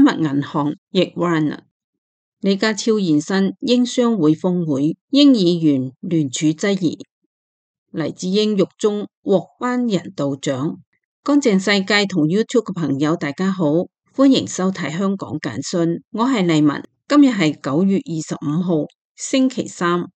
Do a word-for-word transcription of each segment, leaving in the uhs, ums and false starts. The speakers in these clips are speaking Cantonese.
丹麥銀行易 Rana。李家超現身英商會峰會，英議員聯署質疑黎智英獄中獲頒人道獎。乾淨世界同 YouTube 嘅朋友大家好，歡迎收睇香港簡訊，我係麗文。今日係九月二十五號星期三。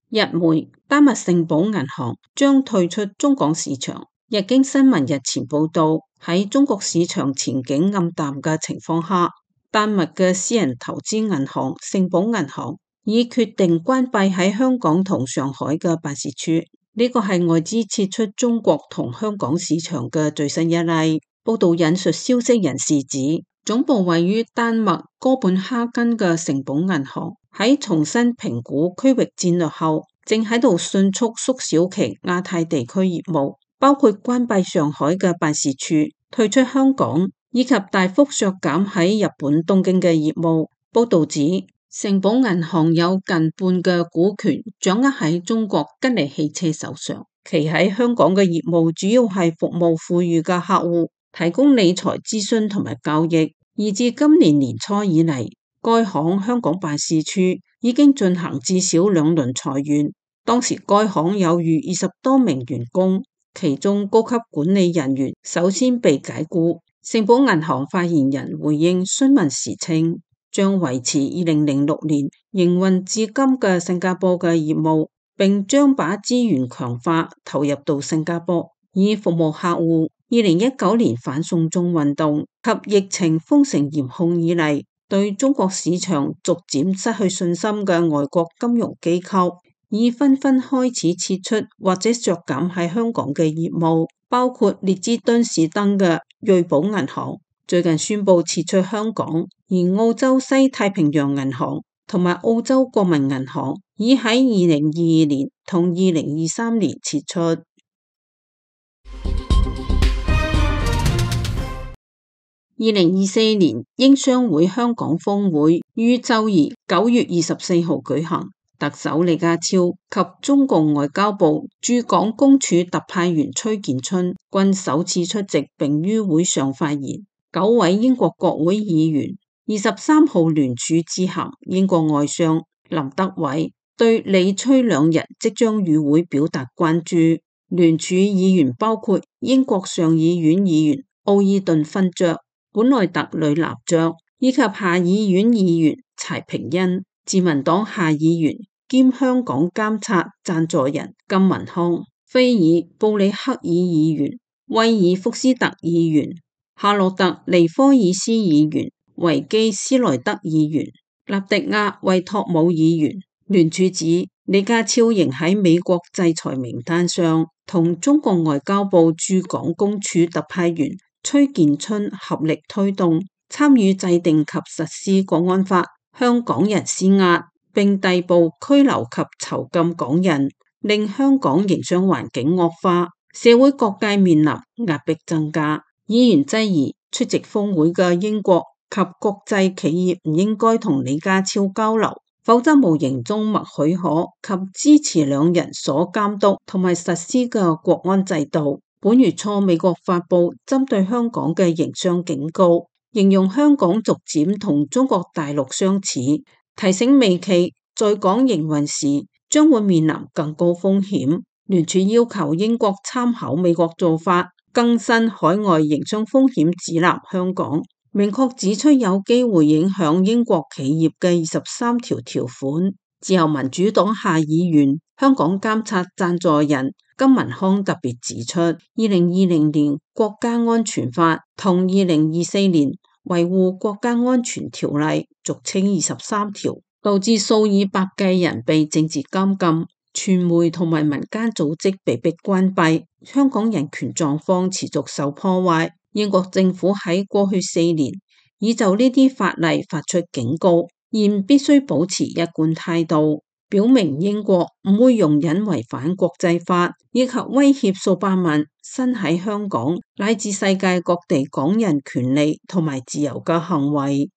日媒丹麥聖保銀行將退出中港市場。日經新聞日前報道，喺中國市場前景暗淡嘅情況下，丹麥嘅私人投資銀行聖保銀行已決定關閉喺香港同上海嘅辦事處。呢個係外資撤出中國同香港市場嘅最新一例。報道引述消息人士指，總部位於丹麥哥本哈根嘅聖保銀行喺重新評估區域戰略後，正喺度迅速縮小其亞太地區業務，包括關閉上海嘅辦事處、退出香港，以及大幅削減喺日本東京嘅業務。報道指，聖保銀行有近半嘅股權掌握喺中國吉利汽車手上，其喺香港嘅業務主要係服務富裕嘅客戶，提供理財諮詢同埋交易。而至今年年初以嚟，該行香港辦事處已經進行至少兩輪裁員，當時該行有逾二十多名員工，其中高級管理人員首先被解雇。聖保銀行發言人回應詢問時稱，將維持二零零六年營運至今嘅新加坡嘅業務，並將把資源強化投入到新加坡，以服務客戶。二零一九年反送中運動及疫情封城嚴控以嚟，對中國市場逐漸失去信心嘅外國金融機構，已紛紛開始撤出或者削減喺香港嘅業務，包括列支敦士登嘅瑞寶銀行最近宣布撤出香港，而澳洲西太平洋銀行同埋澳洲國民銀行已喺二零二二年同二零二三年撤出。二零二四年英商會香港峰會於周二九月二十四號舉行，特首李家超及中共外交部駐港公署特派員崔建春均首次出席並於會上發言。九位英國國會議員二十三號聯署致函英國外相林德偉，對李崔兩人即將與會表達關注。聯署議員包括英國上議院議員奧爾頓勳爵、本內特呂納爵以及下議院議員柴平恩，自民黨下議員兼香港監察贊助人金文康、菲爾布里克爾議員、威爾福斯特議員、夏洛特尼科爾斯議員、維基斯萊德議員、納迪亞維托姆議員。聯署指李家超仍喺美國制裁名單上，同中國外交部駐港公署特派員崔建春合力推動參與制定及實施國安法，向港人施壓，並逮捕拘留及囚禁港人，令香港營商環境惡化，社會各界面臨壓迫增加。議員質疑出席峰會嘅英國及國際企業唔應該同李家超交流，否則無形中默許可及支持兩人所監督同埋實施嘅國安制度。本月初，美國發布針對香港嘅營商警告，形容香港逐漸同中國大陸相似，提醒美企在港營運時將會面臨更高風險。聯署要求英國參考美國做法，更新海外營商風險指南香港，明確指出有機會影響英國企業嘅二十三條條款。自由民主黨下議員、香港監察贊助人金文康特別指出，二零二零年國家安全法同二零二四年維護國家安全條例俗稱二十三條，導致數以百計人被政治監禁，傳媒同埋民間組織被迫關閉，香港人權狀況持續受破壞。英國政府喺過去四年已就呢啲法例發出警告，現必須保持一貫態度，表明英國唔會容忍違反國際法以及威脅數百萬身喺香港乃至世界各地港人權利同埋自由嘅行為。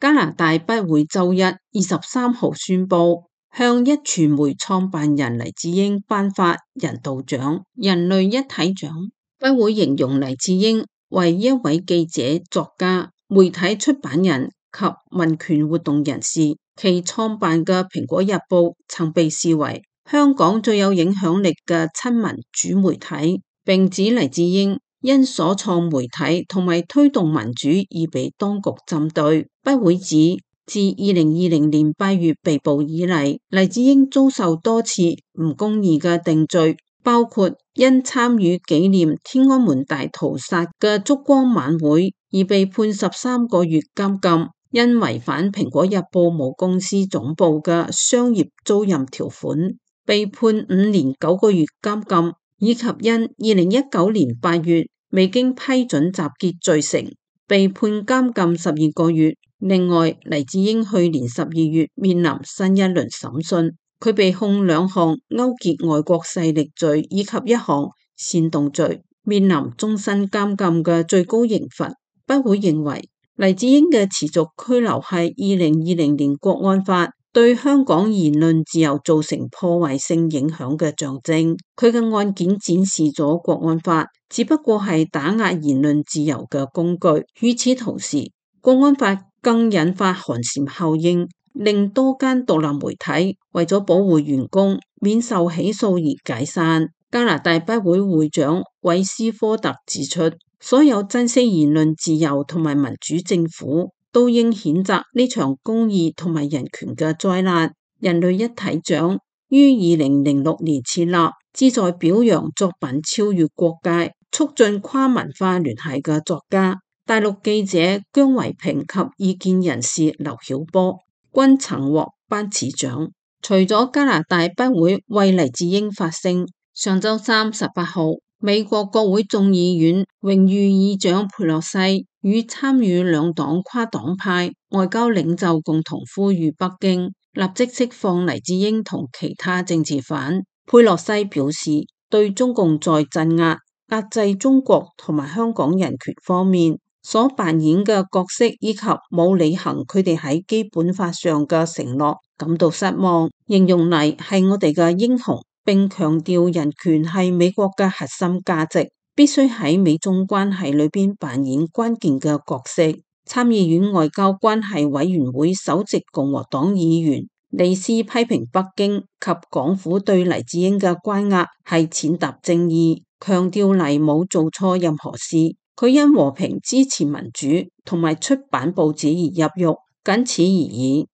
加拿大不會周一二十三號宣布向壹傳媒創辦人黎智英頒發人道獎、人類一體獎。不會形容黎智英為一位記者、作家、媒體出版人及民權活動人士。其創辦嘅《蘋果日報》曾被視為香港最有影響力嘅親民主媒體，並指黎智英因所創媒體同埋推動民主而被當局針對。不會指自二零二零年八月被捕以嚟，黎智英遭受多次唔公義嘅定罪，包括因參與紀念天安門大屠殺嘅燭光晚會而被判十三個月監禁，因違反蘋果日報母公司總部嘅商業租賃條款，被判五年九個月監禁，以及因二零一九年八月未經批准集結罪成，被判監禁十二個月。另外，黎智英去年十二月面臨新一輪審訊，佢被控兩項勾結外國勢力罪以及一項煽動罪，面臨終身監禁嘅最高刑罰。不會認為黎智英嘅持續拘留係二零二零年國安法對香港言論自由造成破壞性影響嘅象徵。佢嘅案件展示咗國安法只不過係打壓言論自由嘅工具。與此同時，國安法更引發寒蟬效應，令多間獨立媒體為咗保護員工免受起訴而解散。加拿大筆會會長韋斯科特指出，所有珍惜言論自由同埋民主政府都應譴責呢場公義同埋人權嘅災難。人類一體獎於二零零六年設立，旨在表揚作品超越國界、促進跨文化聯繫嘅作家。大陸記者姜維平及意見人士劉曉波均曾獲頒此獎。除咗加拿大筆會為黎智英發聲，上週三十八號，美國國會眾議院榮譽議長佩洛西與參與兩黨跨黨派外交領袖共同呼籲北京立即釋放黎智英同其他政治犯。佩洛西表示，對中共在鎮壓、壓制中國同埋香港人權方面所扮演嘅角色，以及冇履行佢哋喺基本法上嘅承諾感到失望，形容黎係我哋嘅英雄，並強調人權係美國嘅核心價值，必須喺美中關係裏邊扮演關鍵嘅角色。參議院外交關係委員會首席共和黨議員李斯批評北京及港府對黎智英嘅關押係踐踏正義，強調黎冇做錯任何事。佢因和平支持民主同埋出版報紙而入獄，僅此而已。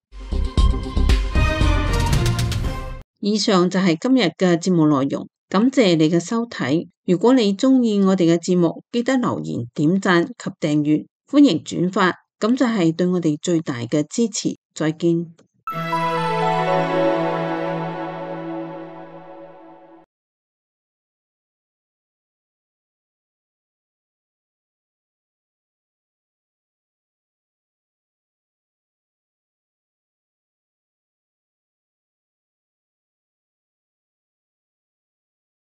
以上就係今日嘅節目內容，感謝你嘅收睇。如果你鍾意我哋嘅節目，記得留言、點讚及訂閱，歡迎轉發，咁就係對我哋最大嘅支持。再見。